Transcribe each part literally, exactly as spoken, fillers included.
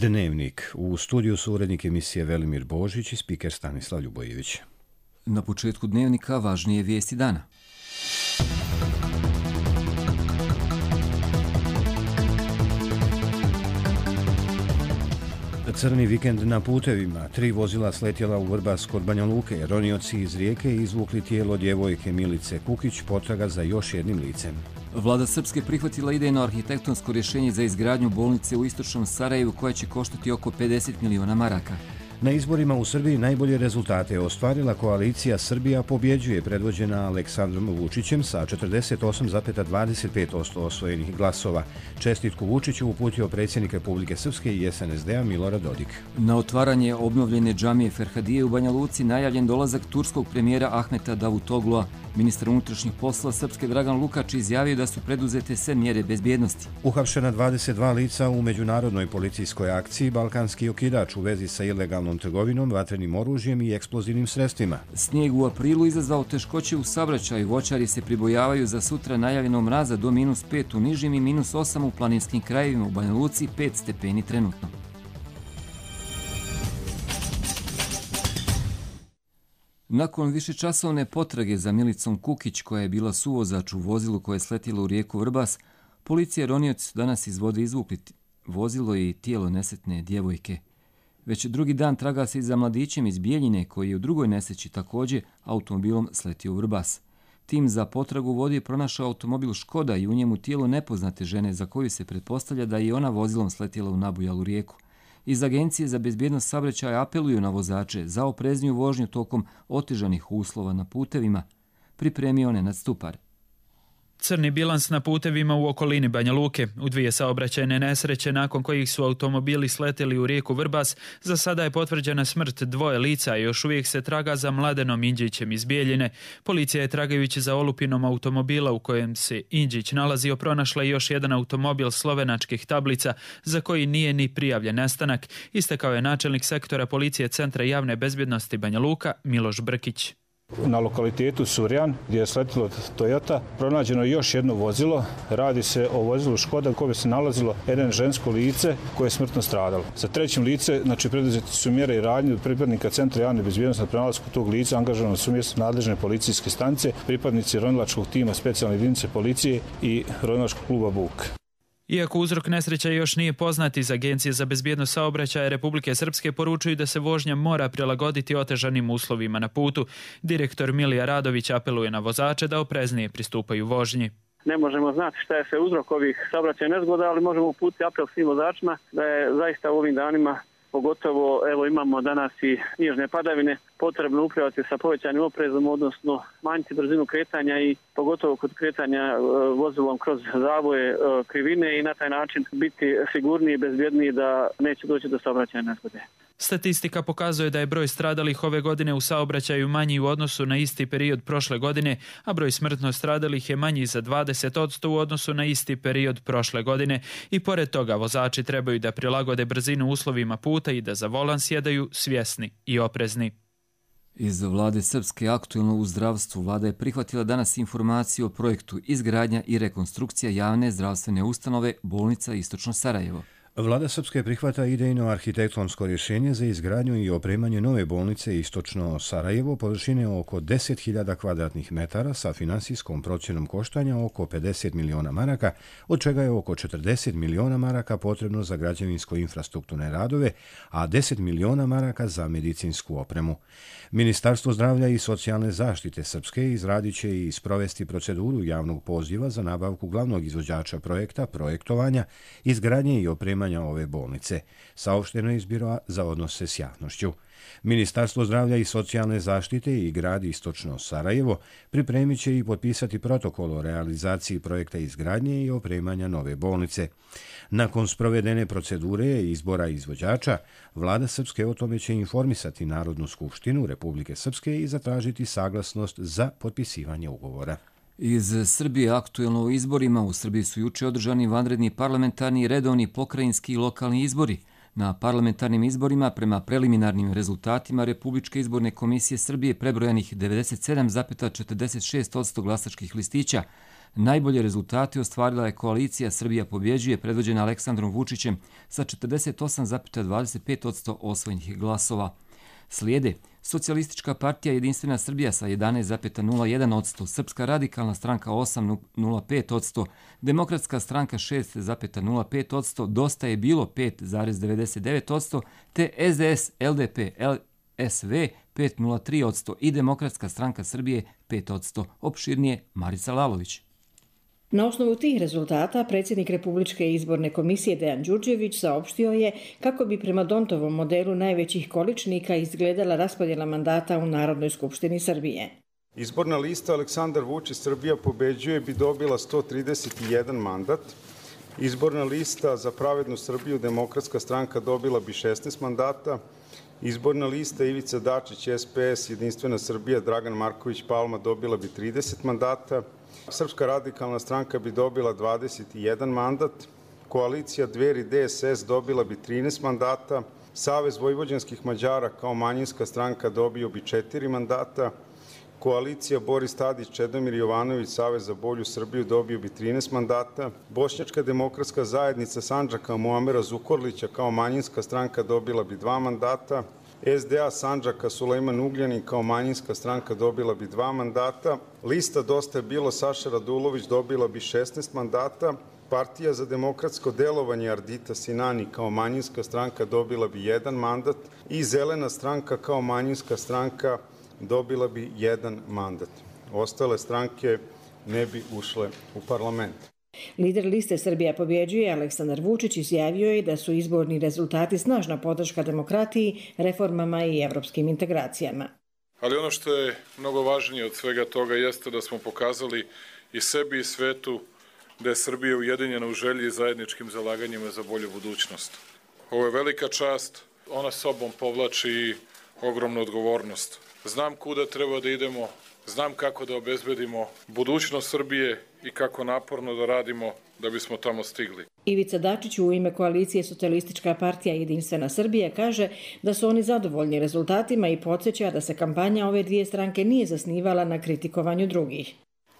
Dnevnik. U studiju su urednik emisije Velimir Božić i spiker Stanislav Ljubojević. Na početku Dnevnika važnije vijesti dana. Crni vikend na putevima. Tri vozila sletjela u Vrbas kod Banja Luke. Ronioci iz Rijeke izvukli tijelo djevojke Milice Kukić, potraga za još jednim licem. Vlada Srpske prihvatila idejno arhitektonsko rješenje za izgradnju bolnice u istočnom Sarajevu koja će koštati oko pedeset miliona maraka. Na izborima u Srbiji najbolje rezultate je ostvarila koalicija Srbija pobjeđuje, predvođena Aleksandrom Vučićem sa četrdeset osam zarez dvadeset pet posto osvojenih glasova. Čestitku Vučiću uputio predsjednik Republike Srpske i S N S D-a Milorad Dodik. Na otvaranje obnovljene džamije Ferhadije u Banja Luci najavljen dolazak turskog premijera Ahmeta Davutoglu'a. Ministar unutrašnjih poslova Srpske Dragan Lukač izjavio da su preduzete sve mjere bezbjednosti. Uhapšena dvadeset dva lica u međunarodnoj policijskoj akciji Balkanski okidač u vezi sa ilegalnom trgovinom, vatrenim oružjem i eksplozivnim sredstvima. Snijeg u aprilu izazvao teškoće u saobraćaju. Voćari se pribojavaju za sutra najavljenog mraza do minus pet u nižim i minus osam u planinskim krajevima. U Banja Luci pet stepeni trenutno. Nakon višečasovne potrage za Milicom Kukić, koja je bila suvozač u vozilu koje je sletjelo u rijeku Vrbas, policija i ronioci su danas iz vode izvukli vozilo i tijelo nesretne djevojke. Već drugi dan traga se i za mladićem iz Bijeljine, koji je u drugoj nesreći također automobilom sletio u Vrbas. Tim za potragu u vodi je pronašao automobil Škoda i u njemu tijelo nepoznate žene za koju se pretpostavlja da je ona vozilom sletjela u nabujalu rijeku. Iz Agencije za bezbjednost saobraćaja apeluju na vozače za oprezniju vožnju tokom otežanih uslova na putevima, pripremio Nenad Stupar. Crni bilans na putevima u okolini Banja Luke. U dvije saobraćajne nesreće nakon kojih su automobili sletjeli u rijeku Vrbas, za sada je potvrđena smrt dvoje lica i još uvijek se traga za Mladenom Indžićem iz Bijeljine. Policija je tragajući za olupinom automobila u kojem se Indžić nalazio pronašla još jedan automobil slovenačkih tablica za koji nije ni prijavljen nestanak, istakao je načelnik sektora policije Centra javne bezbjednosti Banja Luka Miloš Brkić. Na lokalitetu Surjan, gdje je sletilo Toyota, pronađeno je još jedno vozilo. Radi se o vozilu Škoda u kojem se nalazilo jedno žensko lice koje je smrtno stradalo. Za trećim lice, znači preduzeti su mjere i radnje od pripadnika Centra javne bezbjednosti na pronalasku tog lica, angažovano su mjesto nadležne policijske stanice, pripadnici ronilačkog tima specijalne jedinice policije i ronilačkog kluba Buk. Iako uzrok nesreća još nije poznat, iz Agencije za bezbjednost saobraćaja Republike Srpske poručuju da se vožnja mora prilagoditi otežanim uslovima na putu. Direktor Milija Radović apeluje na vozače da opreznije pristupaju vožnji. Ne možemo znati šta je sve uzrok ovih saobraćajnih nezgoda, ali možemo uputiti apel svim vozačima da je zaista u ovim danima, pogotovo evo imamo danas i snježne padavine, potrebno upravljati sa povećanim oprezom, odnosno manjiti brzinu kretanja i pogotovo kod kretanja vozilom kroz zavoje, krivine i na taj način biti sigurniji i bezbjedniji da neće doći do saobraćajne nezgode. Statistika pokazuje da je broj stradalih ove godine u saobraćaju manji u odnosu na isti period prošle godine, a broj smrtno stradalih je manji za dvadeset posto u odnosu na isti period prošle godine. I pored toga vozači trebaju da prilagode brzinu uslovima puta i da za volan sjedaju svjesni i oprezni. Iz Vlade Srpske aktuelno u zdravstvu Vlada je prihvatila danas informaciju o projektu izgradnja i rekonstrukcija javne zdravstvene ustanove bolnica Istočno Sarajevo. Vlada Srpske prihvata idejno arhitektonsko rješenje za izgradnju i opremanje nove bolnice Istočno Sarajevo površine oko deset hiljada kvadratnih metara sa finansijskom procjenom koštanja oko pedeset miliona maraka, od čega je oko četrdeset miliona maraka potrebno za građevinsko-infrastrukturne radove, a deset miliona maraka za medicinsku opremu. Ministarstvo zdravlja i socijalne zaštite Srpske izradit će i sprovesti proceduru javnog poziva za nabavku glavnog izvođača projekta, projektovanja, izgradnje i opremanja ove bolnice, saopšteno iz Biroa za odnose s javnošću. Ministarstvo zdravlja i socijalne zaštite i grad Istočno Sarajevo pripremit će i potpisati protokol o realizaciji projekta izgradnje i opremanja nove bolnice. Nakon sprovedene procedure i izbora izvođača, Vlada Srpske o tome će informisati Narodnu skupštinu Republike Srpske i zatražiti saglasnost za potpisivanje ugovora. Iz Srbije aktuelno u izborima. U Srbiji su juče održani vanredni parlamentarni, redovni, pokrajinski i lokalni izbori. Na parlamentarnim izborima, prema preliminarnim rezultatima Republičke izborne komisije Srbije, prebrojanih devedeset sedam zarez četrdeset šest posto glasačkih listića, Najbolje rezultate ostvarila je koalicija Srbija pobjeđuje, predvođena Aleksandrom Vučićem sa četrdeset osam zarez dvadeset pet posto osvojenih glasova. Slijede Socijalistička partija Jedinstvena Srbija sa jedanaest zarez nula jedan posto, Srpska radikalna stranka osam zarez nula pet posto, Demokratska stranka šest zarez nula pet posto, Dosta je bilo pet zarez devedeset devet posto, te S D S, L D P, L S V pet zarez nula tri posto i Demokratska stranka Srbije pet posto. Opširnije Marica Lalović. Na osnovu tih rezultata predsjednik Republičke izborne komisije Dejan Đurđević saopštio je kako bi prema Dontovom modelu najvećih količnika izgledala raspodjela mandata u Narodnoj skupštini Srbije. Izborna lista Aleksandar Vučić Srbija pobeđuje bi dobila sto trideset jedan mandat. Izborna lista za Pravednu Srbiju Demokratska stranka dobila bi šesnaest mandata. Izborna lista Ivica Dačić S P S Jedinstvena Srbija Dragan Marković Palma dobila bi trideset mandata. Srpska radikalna stranka bi dobila dvadeset jedan mandat, koalicija Dveri D S S dobila bi trinaest mandata, Savez vojvođanskih Mađara kao manjinska stranka dobio bi četiri mandata, koalicija Boris Tadić, Čedomir Jovanović, Savez za bolju Srbiju dobio bi trinaest mandata, Bošnjačka demokratska zajednica Sandžaka Muamera Zukorlića kao manjinska stranka dobila bi dva mandata, S D A Sandžaka Sulejman Ugljanin kao manjinska stranka dobila bi dva mandata, lista Dosta je bilo Saša Radulović dobila bi šesnaest mandata, Partija za demokratsko delovanje Ardita Sinani kao manjinska stranka dobila bi jedan mandat i Zelena stranka kao manjinska stranka dobila bi jedan mandat. Ostale stranke ne bi ušle u parlament. Lider liste Srbija pobjeđuje Aleksandar Vučić izjavio je da su izborni rezultati snažna podrška demokratiji, reformama i evropskim integracijama. Ali ono što je mnogo važnije od svega toga jeste da smo pokazali i sebi i svetu da je Srbija ujedinjena u želji i zajedničkim zalaganjima za bolju budućnost. Ovo je velika čast, ona sobom povlači i ogromnu odgovornost. Znam kuda treba da idemo, znam kako da obezbedimo budućnost Srbije i kako naporno da radimo da bismo tamo stigli. Ivica Dačić u ime koalicije Socijalistička partija Jedinstvena Srbija kaže da su oni zadovoljni rezultatima i podsjeća da se kampanja ove dvije stranke nije zasnivala na kritikovanju drugih.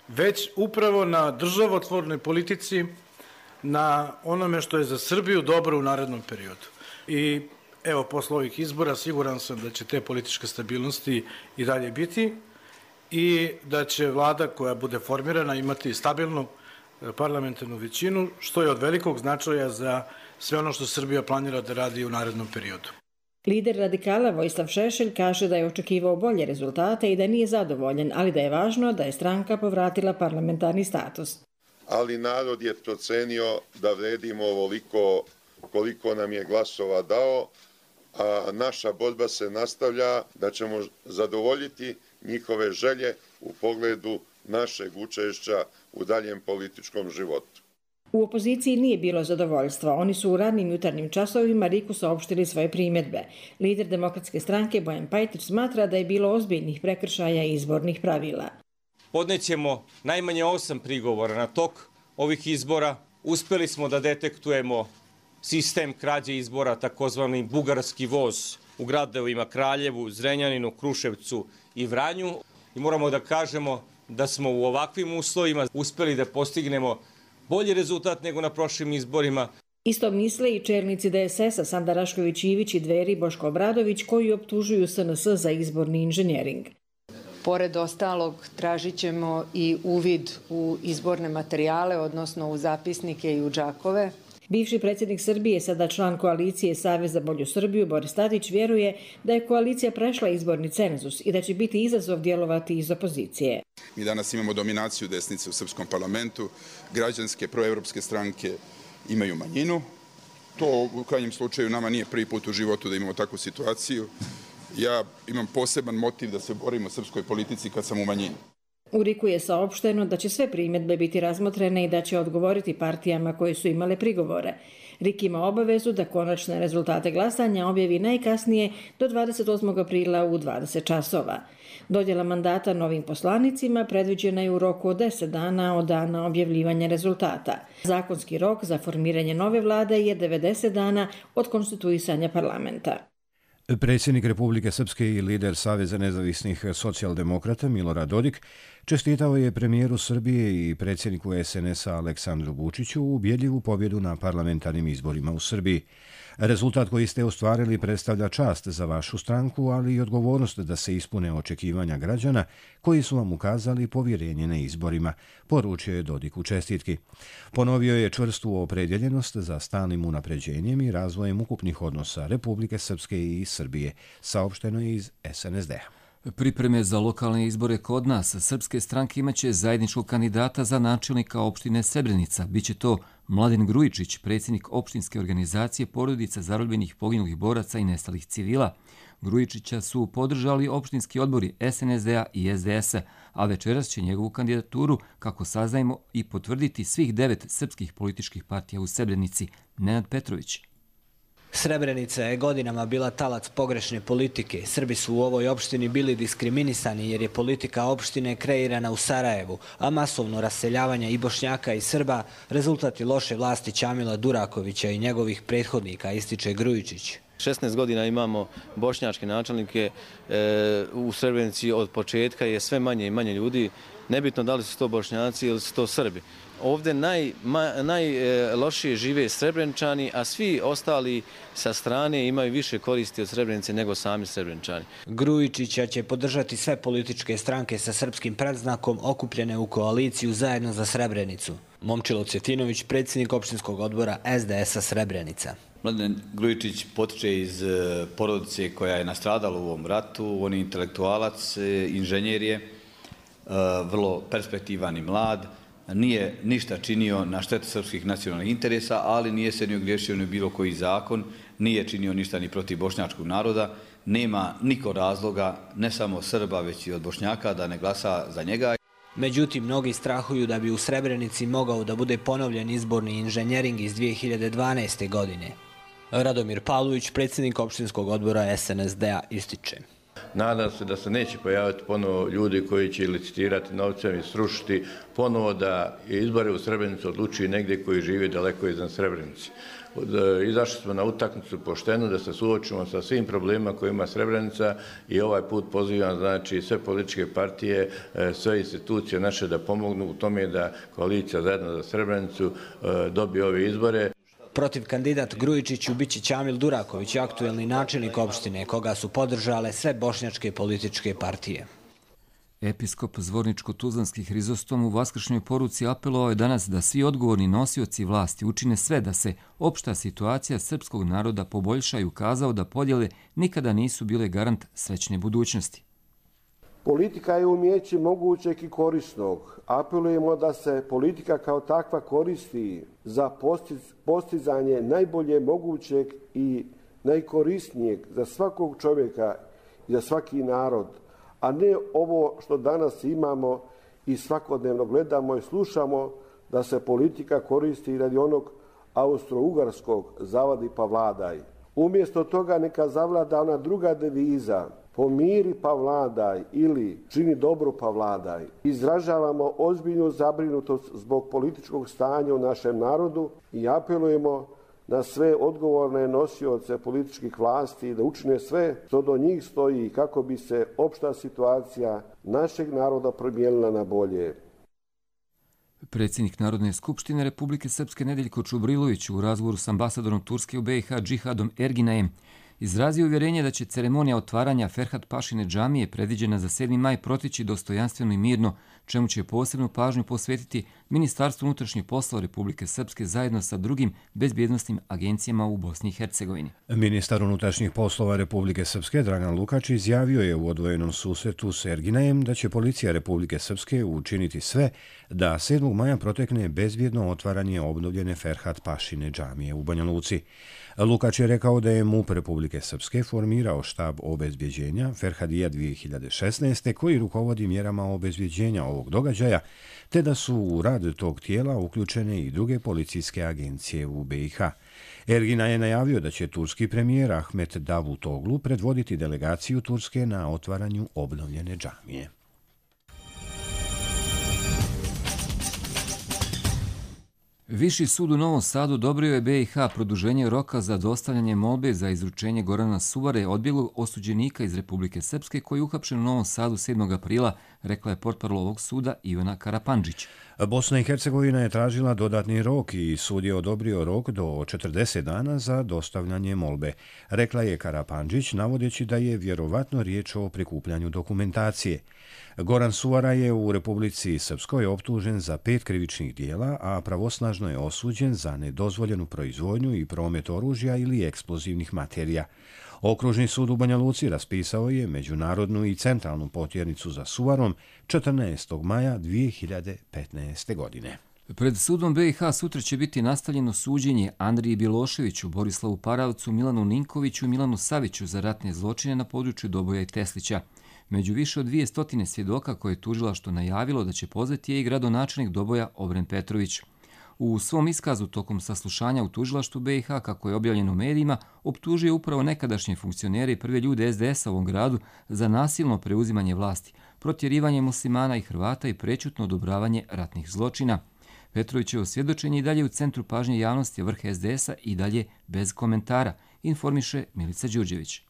Već upravo na državotvornoj politici, na onome što je za Srbiju dobro u narednom periodu. I evo, posle ovih izbora siguran sam da će te političke stabilnosti i dalje biti i da će vlada koja bude formirana imati stabilnu parlamentarnu većinu, što je od velikog značaja za sve ono što Srbija planira da radi u narednom periodu. Lider radikala Vojislav Šešelj kaže da je očekivao bolje rezultate i da nije zadovoljen, ali da je važno da je stranka povratila parlamentarni status. Ali narod je procenio da vredimo ovoliko koliko nam je glasova dao, a naša borba se nastavlja da ćemo zadovoljiti njihove želje u pogledu našeg učešća u daljem političkom životu. U opoziciji nije bilo zadovoljstva. Oni su u radnim jutarnjim časovima Riku saopštili svoje primjedbe. Lider Demokratske stranke Bojan Pajtić smatra da je bilo ozbiljnih prekršaja izbornih pravila. Podnećemo najmanje osam prigovora na tok ovih izbora. Uspeli smo da detektujemo sistem krađe izbora, takozvani bugarski voz u gradovima Kraljevu, Zrenjaninu, Kruševcu i Vranju. I moramo da kažemo da smo u ovakvim uslovima uspeli da postignemo bolji rezultat nego na prošlim izborima. Isto misle i čelnici D S S-a Sanda Rašković Ivić i Dveri Boško Obradović koji optužuju S N S za izborni inženjering. Pored ostalog, tražit ćemo i uvid u izborne materijale, odnosno u zapisnike i u džakove. Bivši predsjednik Srbije, sada član koalicije Savez za bolju Srbiju, Boris Tadić, vjeruje da je koalicija prešla izborni cenzus i da će biti izazov djelovati iz opozicije. Mi danas imamo dominaciju desnice u srpskom parlamentu, građanske proevropske stranke imaju manjinu. To u krajnjem slučaju nama nije prvi put u životu da imamo takvu situaciju. Ja imam poseban motiv da se borim u srpskoj politici kad sam u manjini. U Riku je saopšteno da će sve primjedbe biti razmotrene i da će odgovoriti partijama koje su imale prigovore. Rik ima obavezu da konačne rezultate glasanja objavi najkasnije do dvadeset osmog aprila u dvadeset časova. Dodjela mandata novim poslanicima predviđena je u roku od deset dana od dana objavljivanja rezultata. Zakonski rok za formiranje nove vlade je devedeset dana od konstituisanja parlamenta. Predsjednik Republike Srpske i lider Saveza nezavisnih socijaldemokrata Milorad Dodik čestitao je premijeru Srbije i predsjedniku es en es a Aleksandru Vučiću ubjedljivu pobjedu na parlamentarnim izborima u Srbiji. Rezultat koji ste ostvarili predstavlja čast za vašu stranku, ali i odgovornost da se ispune očekivanja građana koji su vam ukazali povjerenje na izborima, poručio je Dodik u čestitki. Ponovio je čvrstu opredjeljenost za stalnim unapređenjem i razvojem ukupnih odnosa Republike Srpske i Srbije, saopšteno je iz es en es de-a. Pripreme za lokalne izbore kod nas srpske stranke imaće zajedničkog kandidata za načelnika opštine Srebrenica. Biće to Mladen Grujičić, predsjednik opštinske organizacije porodica zarobljenih poginulih boraca i nestalih civila. Grujičića su podržali opštinski odbori es en es de-a i es de es-a, a večeras će njegovu kandidaturu, kako saznajemo, i potvrditi svih devet srpskih političkih partija u Srebrenici. Nenad Petrović. Srebrenica je godinama bila talac pogrešne politike. Srbi su u ovoj opštini bili diskriminisani jer je politika opštine kreirana u Sarajevu, a masovno raseljavanje i Bošnjaka i Srba rezultat je loše vlasti Ćamila Durakovića i njegovih prethodnika, ističe Grujičić. šesnaest godina imamo bošnjačke načelnike, e, u Srebrenici od početka je sve manje i manje ljudi, nebitno da li su to Bošnjaci ili su to Srbi. Ovdje najlošije naj, žive Srebreničani, a svi ostali sa strane imaju više koristi od Srebrenice nego sami Srebreničani. Grujičića će podržati sve političke stranke sa srpskim predznakom okupljene u koaliciju Zajedno za Srebrenicu. Momčilo Cvjetinović, predsjednik opštinskog odbora es de es-a Srebrenica. Mladen Grujičić potiče iz porodice koja je nastradala u ovom ratu. On je intelektualac, inženjer je, vrlo perspektivan i mlad. Nije ništa činio na štetu srpskih nacionalnih interesa, ali nije se ni ogriješio ni bilo koji zakon, nije činio ništa ni protiv bošnjačkog naroda. Nema niko razloga, ne samo Srba, već i od Bošnjaka, da ne glasa za njega. Međutim, mnogi strahuju da bi u Srebrenici mogao da bude ponovljen izborni inženjering iz dvije hiljade dvanaeste. godine. Radomir Pavlović, predsjednik opštinskog odbora es en es de-a, ističe. Nadam se da se neće pojaviti ponovo ljudi koji će licitirati novcem i srušiti ponovo da izbore u Srebrenici odlučuju negdje koji žive daleko iznad Srebrenici. Izašli smo na utakmicu pošteno da se suočimo sa svim problemima koje ima Srebrenica i ovaj put pozivam znači sve političke partije, sve institucije naše da pomognu u tome da koalicija Zajedno za Srebrenicu dobije ove izbore. Protiv kandidat Grujičiću biće Ćamil Duraković, aktuelni načelnik opštine, koga su podržale sve bošnjačke političke partije. Episkop Zvorničko-Tuzlanski Hrizostom u vaskršnjoj poruci apelovao je danas da svi odgovorni nosioci vlasti učine sve da se opšta situacija srpskog naroda poboljša i ukazao da podjele nikada nisu bile garant srećne budućnosti. Politika je umijeće mogućeg i korisnog. Apelujemo da se politika kao takva koristi za postizanje najbolje mogućeg i najkorisnijeg za svakog čovjeka i za svaki narod, a ne ovo što danas imamo i svakodnevno gledamo i slušamo da se politika koristi radi onog austro-ugarskog zavadi pa vladaj. Umjesto toga neka zavlada ona druga deviza, pomiri pa vladaj ili čini dobro pa vladaj. Izražavamo ozbiljnu zabrinutost zbog političkog stanja u našem narodu i apelujemo na sve odgovorne nosioce političkih vlasti da učine sve što do njih stoji kako bi se opšta situacija našeg naroda promijenila na bolje. Predsjednik Narodne skupštine Republike Srpske Nedeljko Čubrilović u razgovoru s ambasadorom Turske u be i ha Džihadom Erginajem izrazio uvjerenje da će ceremonija otvaranja Ferhat Pašine džamije predviđena za sedmi maj protići dostojanstveno i mirno, čemu će posebnu pažnju posvetiti Ministarstvo unutrašnjih poslova Republike Srpske zajedno sa drugim bezbjednosnim agencijama u Bosni i Hercegovini. Ministar unutrašnjih poslova Republike Srpske Dragan Lukač izjavio je u odvojenom susretu s Erginajem da će policija Republike Srpske učiniti sve da sedmog maja protekne bezbjedno otvaranje obnovljene Ferhat Pašine džamije u Banja Luci. Lukač je rekao da je MUP Republike Srpske formirao štab obezbjeđenja Ferhadija dvije hiljade šesnaeste. koji rukovodi mjerama obezbjeđenja ovog događaja, te da su u rad tog tijela uključene i druge policijske agencije u be i ha. Ergina je najavio da će turski premijer Ahmet Davutoglu predvoditi delegaciju Turske na otvaranju obnovljene džamije. Viši sud u Novom Sadu odobrio je be i ha produženje roka za dostavljanje molbe za izručenje Gorana Suvare, odbjeglog osuđenika iz Republike Srpske koji je uhapšen u Novom Sadu sedmog aprila, rekla je portparol ovog suda Ivana Karapandžić. Bosna i Hercegovina je tražila dodatni rok i sud je odobrio rok do četrdeset dana za dostavljanje molbe, rekla je Karapandžić, navodeći da je vjerovatno riječ o prikupljanju dokumentacije. Goran Suvara je u Republici Srpskoj optužen za pet krivičnih dijela, a pravosnažno je osuđen za nedozvoljenu proizvodnju i promet oružja ili eksplozivnih materija. Okružni sud u Banja Luci raspisao je međunarodnu i centralnu potjernicu za Suvarom četrnaestog maja dvije hiljade petnaeste. godine. Pred sudom be i ha sutra će biti nastavljeno suđenje Andriji Bjeloševiću, Borislavu Paravcu, Milanu Ninkoviću i Milanu Saviću za ratne zločine na području Doboja i Teslića. Među više od dvije stotine svjedoka koje je tužilaštvo najavilo da će pozvati je i gradonačelnik Doboja Obren Petrović. U svom iskazu tokom saslušanja u tužilaštvu be i ha, kako je objavljeno u medijima, optužio upravo nekadašnje funkcionere i prve ljude es de esa u ovom gradu za nasilno preuzimanje vlasti, protjerivanje muslimana i Hrvata i prečutno odobravanje ratnih zločina. Petrovićevo svjedočenje i dalje u centru pažnje javnosti, vrh es de esa i dalje bez komentara, informiše Milica Đurđević.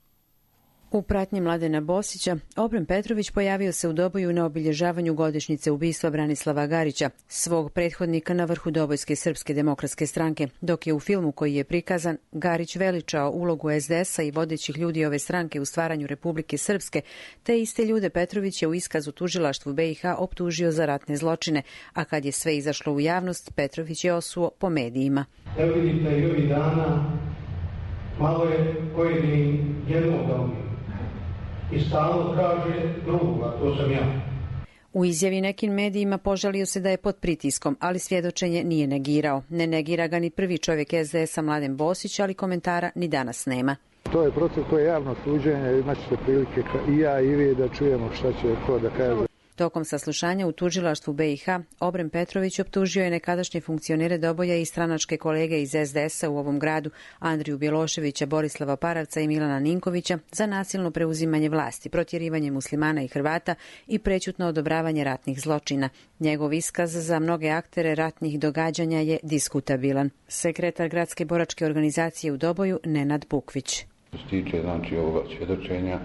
U pratnji Mladena Bosića, Obren Petrović pojavio se u Doboju na obilježavanju godišnjice ubistva Branislava Garića, svog prethodnika na vrhu Dobojske srpske demokratske stranke, dok je u filmu koji je prikazan Garić veličao ulogu es de esa i vodećih ljudi ove stranke u stvaranju Republike Srpske, te iste ljude Petrović je u iskazu tužilaštvu be i ha optužio za ratne zločine, a kad je sve izašlo u javnost, Petrović je osuo po medijima. Evo vidite i ovih dana, malo je pojedini jednog da ubije. I stalno kaže drugoga, to sam ja. U izjavi nekim medijima požalio se da je pod pritiskom, ali svjedočenje nije negirao. Ne negira ga ni prvi čovjek es de esa Mladen Bosić, ali komentara ni danas nema. To je proces, to je javno suđenje, imat ćete prilike i ja i vi da čujemo šta će ko da kaže. Tokom saslušanja u tužilaštvu be i ha, Obren Petrović optužio je nekadašnje funkcionere Doboja i stranačke kolege iz es de esa u ovom gradu, Andriju Bjeloševića, Borislava Paravca i Milana Ninkovića, za nasilno preuzimanje vlasti, protjerivanje muslimana i Hrvata i prečutno odobravanje ratnih zločina. Njegov iskaz za mnoge aktere ratnih događanja je diskutabilan. Sekretar gradske boračke organizacije u Doboju, Nenad Bukvić. Što se tiče znači, ovoga svjedočenja,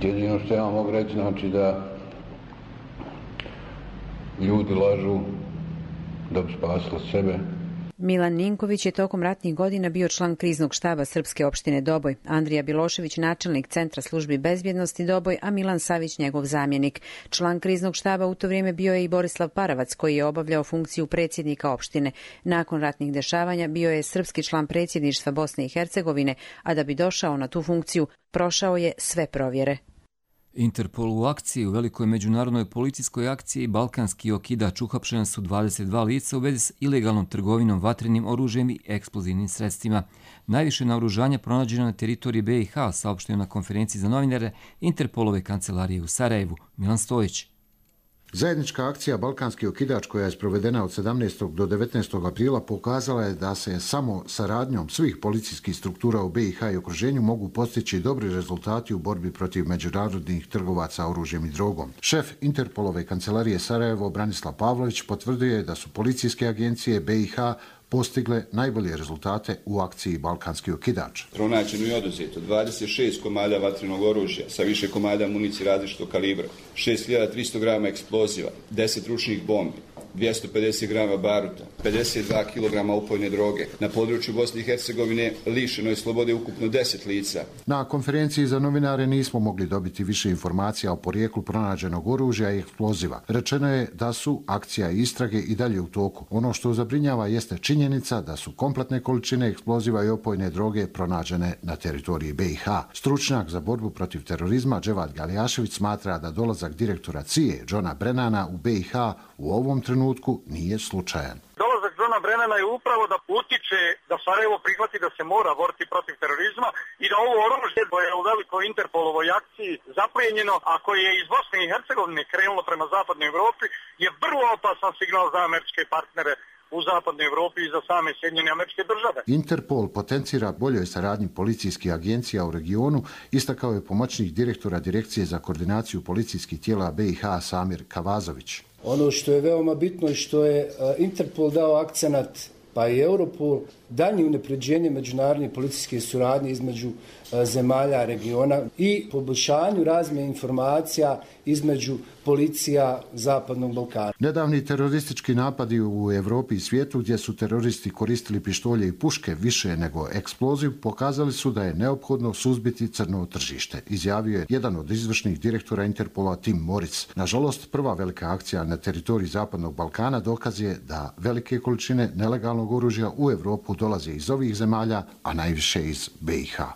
jedino što ja mogu reći, znači da ljudi lažu da bi spasili sebe. Milan Ninković je tokom ratnih godina bio član kriznog štaba Srpske opštine Doboj, Andrija Bjelošević načelnik Centra službi bezbjednosti Doboj, a Milan Savić njegov zamjenik. Član kriznog štaba u to vrijeme bio je i Borislav Paravac, koji je obavljao funkciju predsjednika opštine. Nakon ratnih dešavanja bio je srpski član predsjedništva Bosne i Hercegovine, a da bi došao na tu funkciju, prošao je sve provjere. Interpol u akciji u velikoj međunarodnoj policijskoj akciji Balkanski okidač uhapšena su dvadeset dva lica u vezi s ilegalnom trgovinom vatrenim oružjem i eksplozivnim sredstvima. Najviše naoružanja pronađeno na teritoriji be i ha, saopštio na konferenciji za novinare Interpolove kancelarije u Sarajevu. Milan Stojić. Zajednička akcija Balkanski okidač koja je sprovedena od sedamnaestog do devetnaestog aprila pokazala je da se samo saradnjom svih policijskih struktura u be i ha i okruženju mogu postići dobri rezultati u borbi protiv međunarodnih trgovaca oružjem i drogom. Šef Interpolove kancelarije Sarajevo Branislav Pavlović potvrdio je da su policijske agencije be i ha postigle najbolje rezultate u akciji Balkanski okidač. Pronađeno i oduzeto dvadeset šest komada vatrenog oružja sa više komada municije različitog kalibra, šest hiljada tristo grama eksploziva, deset ručnih bombi, dvjesto pedeset grama baruta, pedeset dva kilograma opojne droge. Na području Bosne i Hercegovine lišeno je slobode ukupno deset lica. Na konferenciji za novinare nismo mogli dobiti više informacija o porijeklu pronađenog oružja i eksploziva. Rečeno je da su akcija i istrage i dalje u toku. Ono što zabrinjava jeste činjenica da su kompletne količine eksploziva i opojne droge pronađene na teritoriji be i ha. Stručnjak za borbu protiv terorizma Dževad Galjašević smatra da dolazak direktora C I E Johna Brennana u be i ha u ovom trenutku nije slučajan. Dolazak Johna Brennana je upravo da utiče da Sarajevo prihvati da se mora boriti protiv terorizma i da ovo oružje koje je u velikoj Interpolovoj akciji zaplijenjeno, a koje je iz Bosne i Hercegovine krenulo prema zapadnoj Evropi, je vrlo opasan signal za američke partnere u zapadnoj Evropi i za same Sjedinjene Američke Države. Interpol potencira boljoj saradnji policijskih agencija u regionu, istakao je pomoćnik direktora Direkcije za koordinaciju policijskih tijela B i H Samir Kavazović. Ono što je veoma bitno i što je Interpol dao akcenat, pa i Europol, daljnje unapređenje međunarodne policijske suradnje između zemalja regiona i poboljšanju razmjene informacija između policija Zapadnog Balkana. Nedavni teroristički napadi u Evropi i svijetu, gdje su teroristi koristili pištolje i puške više nego eksploziv, pokazali su da je neophodno suzbiti crno tržište, izjavio je jedan od izvršnih direktora Interpola Tim Moritz. Nažalost, prva velika akcija na teritoriji Zapadnog Balkana dokaz je da velike količine nelegalnog oružja u Evropu dolaze iz ovih zemalja, a najviše iz B i H.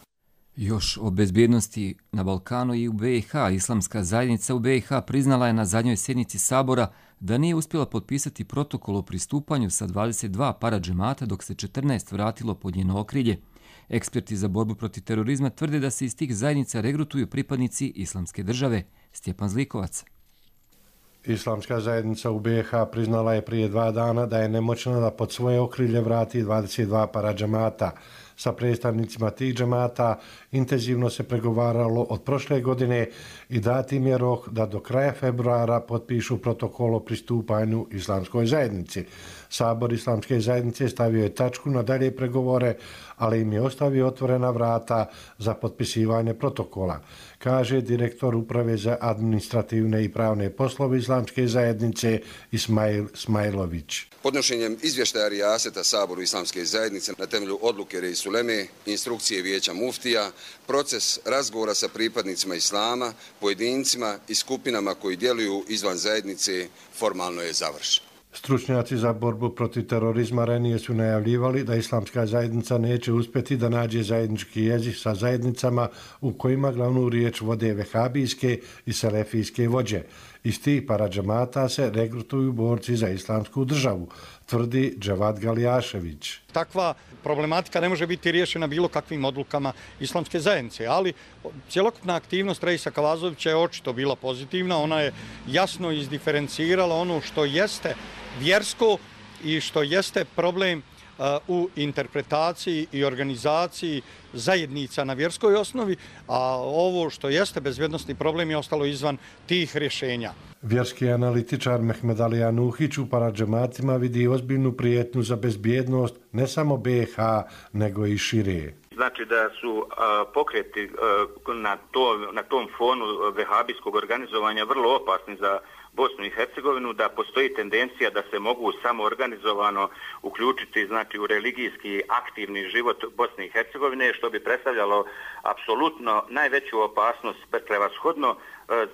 Još o bezbjednosti na Balkanu i u B i H. Islamska zajednica u B i H priznala je na zadnjoj sjednici Sabora da nije uspjela potpisati protokol o pristupanju sa dvadeset dva paradžemata, dok se četrnaest vratilo pod njeno okrilje. Eksperti za borbu protiv terorizma tvrde da se iz tih zajednica regrutuju pripadnici Islamske države. Stjepan Zlikovac. Islamska zajednica u B i H priznala je prije dva dana da je nemoćna da pod svoje okrilje vrati dvadeset dva paradžemata. Sa predstavnicima tih džemata intenzivno se pregovaralo od prošle godine i dati im je rok da do kraja februara potpišu protokol o pristupanju Islamskoj zajednici. Sabor Islamske zajednice stavio je tačku na dalje pregovore, ali im je ostavio otvorena vrata za potpisivanje protokola, kaže direktor Uprave za administrativne i pravne poslove Islamske zajednice Ismail Smajlović. Podnošenjem izvještaja Rijaseta Saboru Islamske zajednice na temelju odluke Reis Uleme, instrukcije Vijeća muftija, proces razgovora sa pripadnicima Islama, pojedincima i skupinama koji djeluju izvan zajednice formalno je završen. Stručnjaci za borbu protiv terorizma ranije su najavljivali da Islamska zajednica neće uspjeti da nađe zajednički jezik sa zajednicama u kojima glavnu riječ vode vehabijske i selefijske vođe. Iz tih paradžamata se regrutuju borci za islamsku državu, tvrdi Dževad Galijašević. Takva problematika ne može biti riješena bilo kakvim odlukama Islamske zajednice, ali cjelokupna aktivnost Reisa Kavazovića je očito bila pozitivna. Ona je jasno izdiferencirala ono što jeste vjersko i što jeste problem u interpretaciji i organizaciji zajednica na vjerskoj osnovi, a ovo što jeste bezbjednosni problem je ostalo izvan tih rješenja. Vjerski analitičar Mehmed Ali Anuhić u paradžematima vidi ozbiljnu prijetnju za bezbjednost ne samo B i H, nego i šire. Znači da su a, pokreti a, na, to, na tom fonu vehabijskog organizovanja vrlo opasni za Bosnu i Hercegovinu, da postoji tendencija da se mogu samoorganizovano uključiti znači, u religijski aktivni život Bosne i Hercegovine, što bi predstavljalo apsolutno najveću opasnost prevashodno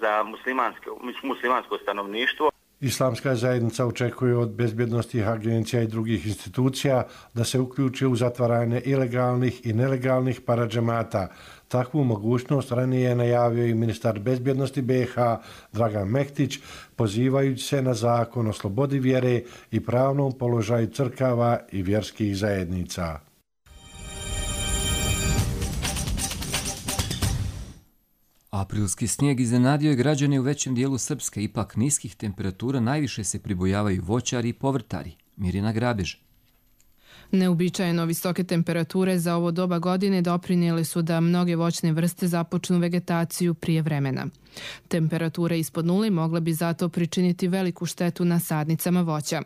za muslimansko, muslimansko stanovništvo. Islamska zajednica očekuje od bezbjednostnih agencija i drugih institucija da se uključe u zatvaranje ilegalnih i nelegalnih paradžemata. Takvu mogućnost ranije je najavio i ministar bezbjednosti B i H Dragan Mektić, pozivajući se na zakon o slobodi vjere i pravnom položaju crkava i vjerskih zajednica. Aprilski snijeg iznenadio je građane u većem dijelu Srpske, ipak niskih temperatura najviše se pribojavaju voćari i povrtari. Mirjana Grabež. Neuobičajeno visoke temperature za ovo doba godine doprinijele su da mnoge voćne vrste započnu vegetaciju prije vremena. Temperature ispod nule mogle bi zato pričiniti veliku štetu na sadnicama voća.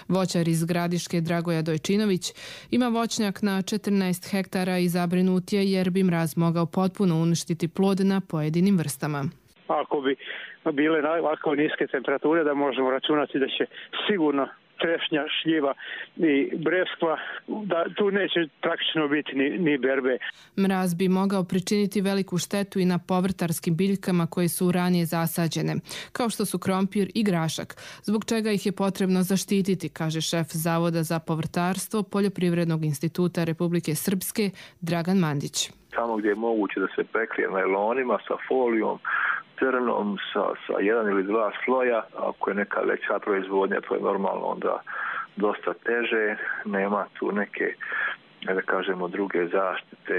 Voćar iz Gradiške Dragoja Dojčinović ima voćnjak na četrnaest hektara i zabrinut je jer bi mraz mogao potpuno uništiti plod na pojedinim vrstama. Ako bi bile ovako niske temperature, da možemo računati da će sigurno trešnja, šljiva i breskva, da tu neće praktično biti ni, ni berbe. Mraz bi mogao pričiniti veliku štetu i na povrtarskim biljkama koje su ranije zasađene, kao što su krompir i grašak, zbog čega ih je potrebno zaštititi, kaže šef Zavoda za povrtarstvo Poljoprivrednog instituta Republike Srpske Dragan Mandić. Tamo gdje je moguće da se prekrije najlonima sa folijom, crnom, sa, sa jedan ili dva sloja. Ako je neka veća proizvodnja, to je normalno onda dosta teže. Nema tu neke, da kažemo, druge zaštite.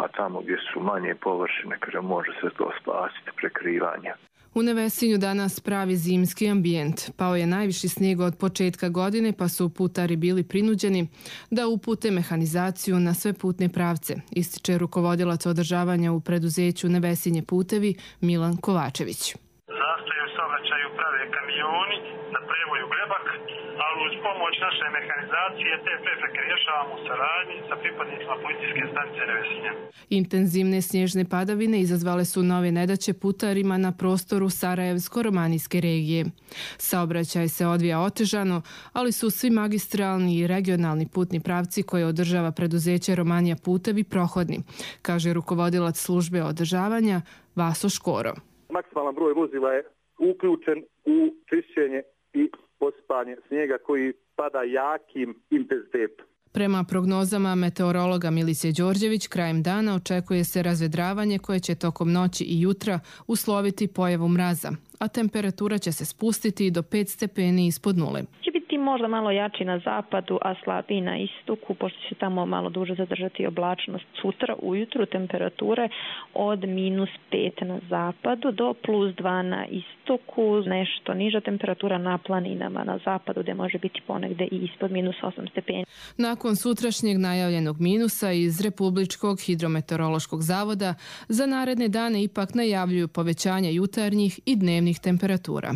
A tamo gdje su manje površine, kaže, može se to spasiti prekrivanje. U Nevesinju danas pravi zimski ambijent. Pao je najviši snijeg od početka godine, pa su putari bili prinuđeni da upute mehanizaciju na sve putne pravce, ističe rukovodilac održavanja u preduzeću Nevesinje putevi Milan Kovačević. Zastoj u saobraćaju prave kamioni da prevoju glebak, ali uz pomoć naše mehanizacije te prepreke rješavamo u saradnji sa pripadnicima policijske stanice Nevesinja. Intenzivne snježne padavine izazvale su nove nedaće putarima na prostoru Sarajevsko-romanijske regije. Saobraćaj se odvija otežano, ali su svi magistralni i regionalni putni pravci koje održava preduzeće Romanija putevi prohodni, kaže rukovodilac službe održavanja Vaso Škoro. Maksimalan broj vozila je uključen u čišćenje i posipanje snijega koji pada jakim intenzitetom. Prema prognozama meteorologa Milice Đorđević, krajem dana očekuje se razvedravanje koje će tokom noći i jutra usloviti pojavu mraza, a temperatura će se spustiti do pet stepeni ispod nule. Će biti možda malo jači na zapadu, a slabiji na istoku, pošto će tamo malo duže zadržati oblačnost. Sutra ujutru temperature od minus pet na zapadu do plus dva na istoku, nešto niža temperatura na planinama na zapadu, gdje može biti ponegde i ispod minus osam stepeni. Nakon sutrašnjeg najavljenog minusa iz Republičkog hidrometeorološkog zavoda, za naredne dane ipak najavljuju povećanje jutarnjih i dnevnih temperatura.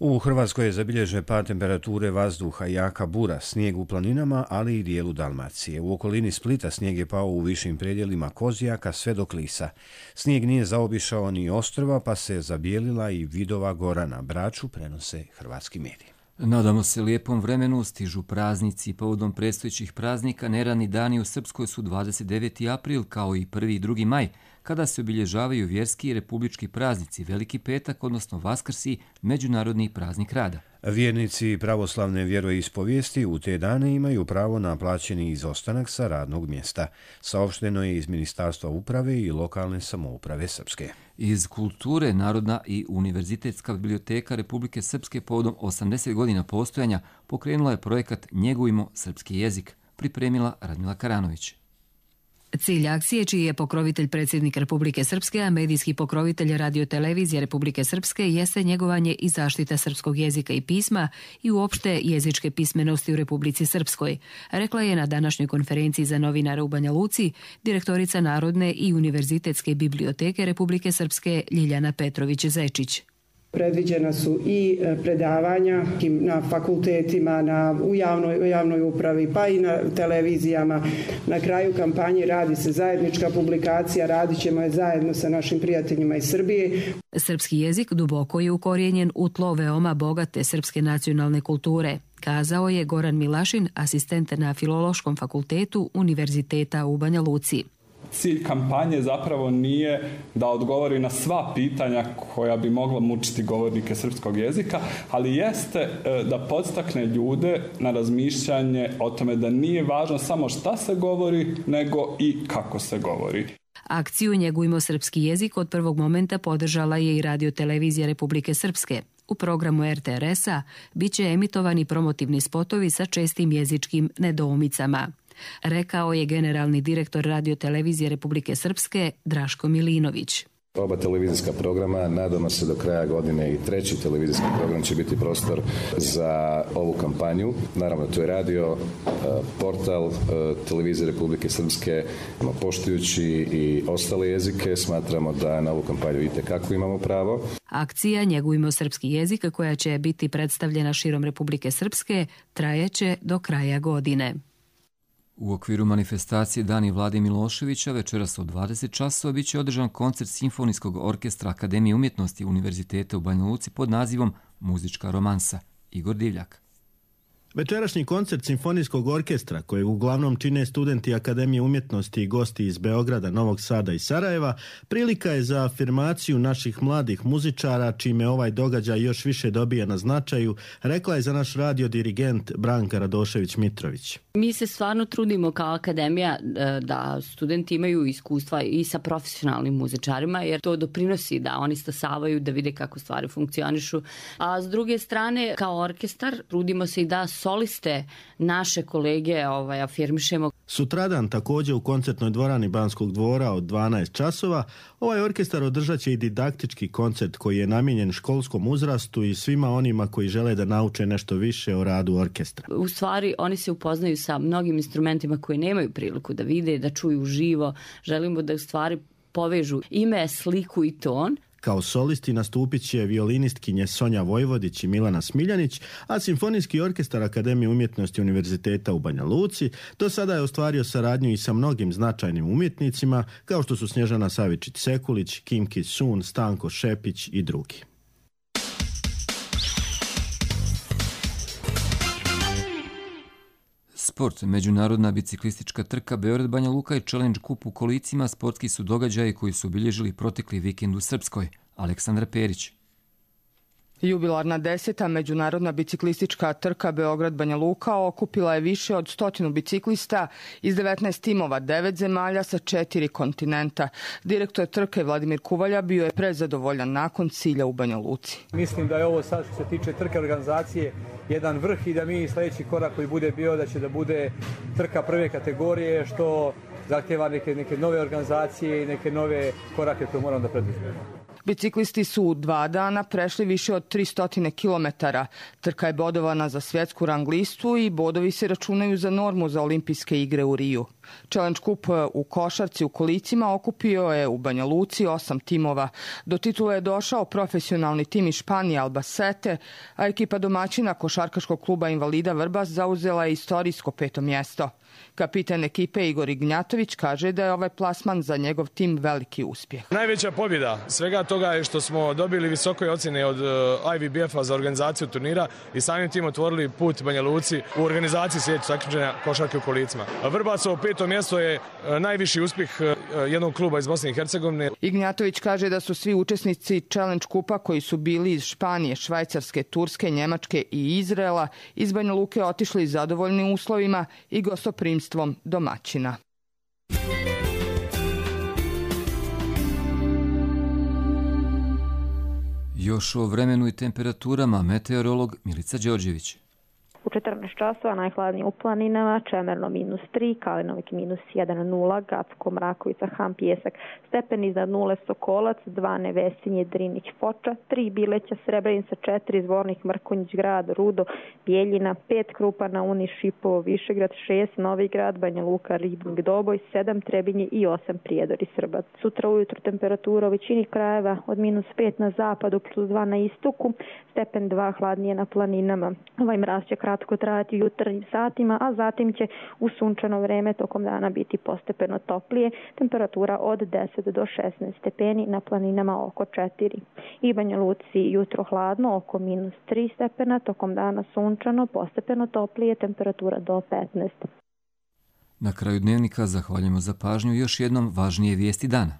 U Hrvatskoj je zabilježen pad temperature vazduha, jaka bura, snijeg u planinama, ali i dijelu Dalmacije. U okolini Splita snijeg je pao u višim predjelima Kozjaka sve do Klisa. Snijeg nije zaobišao ni ostrva, pa se zabijelila i Vidova gora na Braču, prenose hrvatski mediji. Nadamo se lijepom vremenu, stižu praznici. Povodom predstojećih praznika neradni dani u Srpskoj su dvadeset deveti april kao i prvi i drugi maj, kada se obilježavaju vjerski i republički praznici, Veliki petak, odnosno Vaskrs i Međunarodni praznik rada. Vjernici pravoslavne vjeroispovijesti u te dane imaju pravo na plaćeni izostanak sa radnog mjesta. Saopšteno je iz Ministarstva uprave i lokalne samouprave Srpske. Iz kulture Narodna i Univerzitetska biblioteka Republike Srpske povodom osamdeset godina postojanja pokrenula je projekat Njegujmo srpski jezik, pripremila Radmila Karanović. Cilj akcije, čiji je pokrovitelj predsjednik Republike Srpske, a medijski pokrovitelj radiotelevizije Republike Srpske, jeste njegovanje i zaštita srpskog jezika i pisma i uopšte jezičke pismenosti u Republici Srpskoj, rekla je na današnjoj konferenciji za novinare u Banja Luci direktorica Narodne i Univerzitetske biblioteke Republike Srpske Ljiljana Petrović-Zečić. Predviđena su i predavanja na fakultetima, na, u, javnoj, u javnoj upravi, pa i na televizijama. Na kraju kampanje radi se zajednička publikacija, radit ćemo je zajedno sa našim prijateljima iz Srbije. Srpski jezik duboko je ukorijenjen u tlo veoma bogate srpske nacionalne kulture, kazao je Goran Milašin, asistent na Filološkom fakultetu Univerziteta u Banja Luci. Cilj kampanje zapravo nije da odgovori na sva pitanja koja bi mogla mučiti govornike srpskog jezika, ali jeste da podstakne ljude na razmišljanje o tome da nije važno samo šta se govori, nego i kako se govori. Akciju Njegujmo srpski jezik od prvog momenta podržala je i radiotelevizija Republike Srpske. U programu er te er es-a bit će emitovani promotivni spotovi sa čestim jezičkim nedoumicama, rekao je generalni direktor radiotelevizije Republike Srpske Draško Milinović. Oba televizijska programa, nadamo se do kraja godine i treći televizijski program će biti prostor za ovu kampanju. Naravno, to je radio, portal televizije Republike Srpske, poštujući i ostale jezike, smatramo da na ovu kampanju itekako imamo pravo. Akcija Njegujmo srpski jezik, koja će biti predstavljena širom Republike Srpske, trajeće do kraja godine. U okviru manifestacije Dani Vlade Miloševića večeras od dvadeset časova biće održan koncert Simfonijskog orkestra Akademije umjetnosti Univerziteta u Banja Luci pod nazivom Muzička romansa. Igor Divljak. Večerašnji koncert Simfonijskog orkestra, kojeg uglavnom čine studenti Akademije umjetnosti i gosti iz Beograda, Novog Sada i Sarajeva, prilika je za afirmaciju naših mladih muzičara, čime ovaj događaj još više dobija na značaju, rekla je za naš radio dirigent Branka Radošević-Mitrović. Mi se stvarno trudimo kao akademija da studenti imaju iskustva i sa profesionalnim muzičarima, jer to doprinosi da oni stasavaju, da vide kako stvari funkcionišu. A s druge strane, kao orkestar, trudimo se i da soliste naše kolege ovaj, afirmišemo. Sutradan također u koncertnoj dvorani Banskog dvora od dvanaest časova ovaj orkestar održat će i didaktički koncert koji je namijenjen školskom uzrastu i svima onima koji žele da nauče nešto više o radu orkestra. U stvari oni se upoznaju sa mnogim instrumentima koji nemaju priliku da vide, da čuju uživo. Želimo da u stvari povežu ime, sliku i ton. Kao solisti nastupit će violinistkinje Sonja Vojvodić i Milana Smiljanić, a Simfonijski orkestar Akademije umjetnosti Univerziteta u Banja Luci do sada je ostvario saradnju i sa mnogim značajnim umjetnicima, kao što su Snježana Savičić-Sekulić, Kim Ki-sun, Stanko Šepić i drugi. Sport, međunarodna biciklistička trka Beograd-Banja Luka i Challenge Cup u kolicima sportski su događaji koji su obilježili protekli vikend u Srpskoj. Aleksandra Perić. Jubilarna deseta međunarodna biciklistička trka Beograd-Banja Luka okupila je više od stotinu biciklista iz devetnaest timova, devet zemalja sa četiri kontinenta. Direktor trke Vladimir Kuvalja bio je prezadovoljan nakon cilja u Banja Luci. Mislim da je ovo sad što se tiče trke organizacije jedan vrh i da mi sljedeći korak koji bude bio da će da bude trka prve kategorije što zahtjeva neke, neke nove organizacije i neke nove korake koje moramo da preduzmemo. Biciklisti su u dva dana prešli više od tristo kilometara. Trka je bodovana za svjetsku rang listu i bodovi se računaju za normu za olimpijske igre u Riju. Challenge Cup u košarci u kolicima okupio je u Banja Luci osam timova. Do titule je došao profesionalni tim iz Španije Albacete, a ekipa domaćina košarkaškog kluba Invalida Vrbas zauzela je istorijsko peto mjesto. Kapitan ekipe Igor Ignjatović kaže da je ovaj plasman za njegov tim veliki uspjeh. Najveća pobjeda svega toga je što smo dobili visoke ocjene od I V B F-a za organizaciju turnira i samim tim otvorili put Banja Luci u organizaciji svjetskog takmičenja košarke u kolicima. Vrbacovo peto mjesto je najviši uspjeh jednog kluba iz Bosne i Hercegovine. Ignjatović kaže da su svi učesnici Challenge Kupa koji su bili iz Španije, Švajcarske, Turske, Njemačke i Izraela iz Banja Luke otišli zadovoljnim uslovima i gostoprimstvom domaćina. Još o vremenu i temperaturama meteorolog Milica Đorđević. U četrnaest časova najhladnije u planinama, Čemerno minus tri, Kalinovik minus jedan, nula, Gacko, Mrakovica, Ham, Pijesak, stepen iznad nule, Sokolac, dva, Nevesinje, Drinić, Foča, tri, Bileća, Srebrenica, četiri, Zvornik, Mrkonjić, Grad, Rudo, Bijeljina, pet, Krupana, Uni, Šipovo, Višegrad, šest, Novi Grad, Banja Luka, Ribnik, Doboj, sedam, Trebinje i osam, Prijedor i Srbac. Sutra ujutru temperatura u većini krajeva od minus pet na zapadu, plus dva na istoku, stepen dva, hladnije na planinama. Ovaj mraz će kratko trajati u jutarnjim satima, a zatim će u sunčano vreme tokom dana biti postepeno toplije, temperatura od deset do šesnaest stepeni, na planinama oko četiri. I Banja Luci jutro hladno, oko minus tri stepena, tokom dana sunčano, postepeno toplije, temperatura do petnaest. Na kraju dnevnika zahvaljujemo za pažnju, još jednom važnije vijesti dana.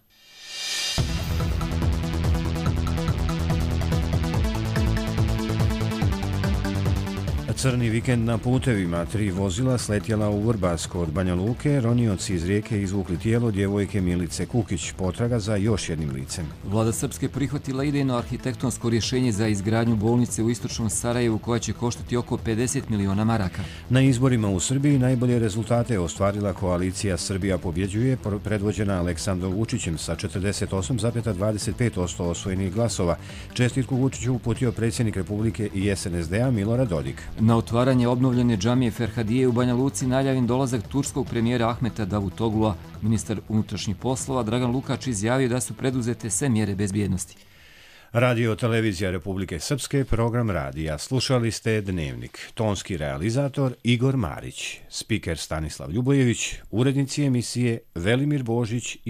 Crni vikend na putevima, tri vozila sletjela u Vrbasko od Banja Luke, ronioci iz rijeke izvukli tijelo djevojke Milice Kukić, potraga za još jednim licem. Vlada Srpske prihvatila idejno arhitektonsko rješenje za izgradnju bolnice u istočnom Sarajevu koja će koštati oko pedeset miliona maraka. Na izborima u Srbiji najbolje rezultate ostvarila koalicija Srbija pobjeđuje, predvođena Aleksandrom Vučićem sa četrdeset osam zarez dvadeset pet posto osvojenih glasova. Čestitku Vučiću uputio predsjednik Republike i S N S D-a Milorad Dodik. Na otvaranje obnovljene džamije Ferhadije u Banja Luci najavljen dolazak turskog premijera Ahmeta Davutoglua. Ministar unutrašnjih poslova Dragan Lukač izjavio da su preduzete sve mjere bezbjednosti. Radio Televizija Republike Srpske, program radija. Slušali ste Dnevnik. Tonski realizator Igor Marić, spiker Stanislav Ljubojević, urednici emisije Velimir Božić i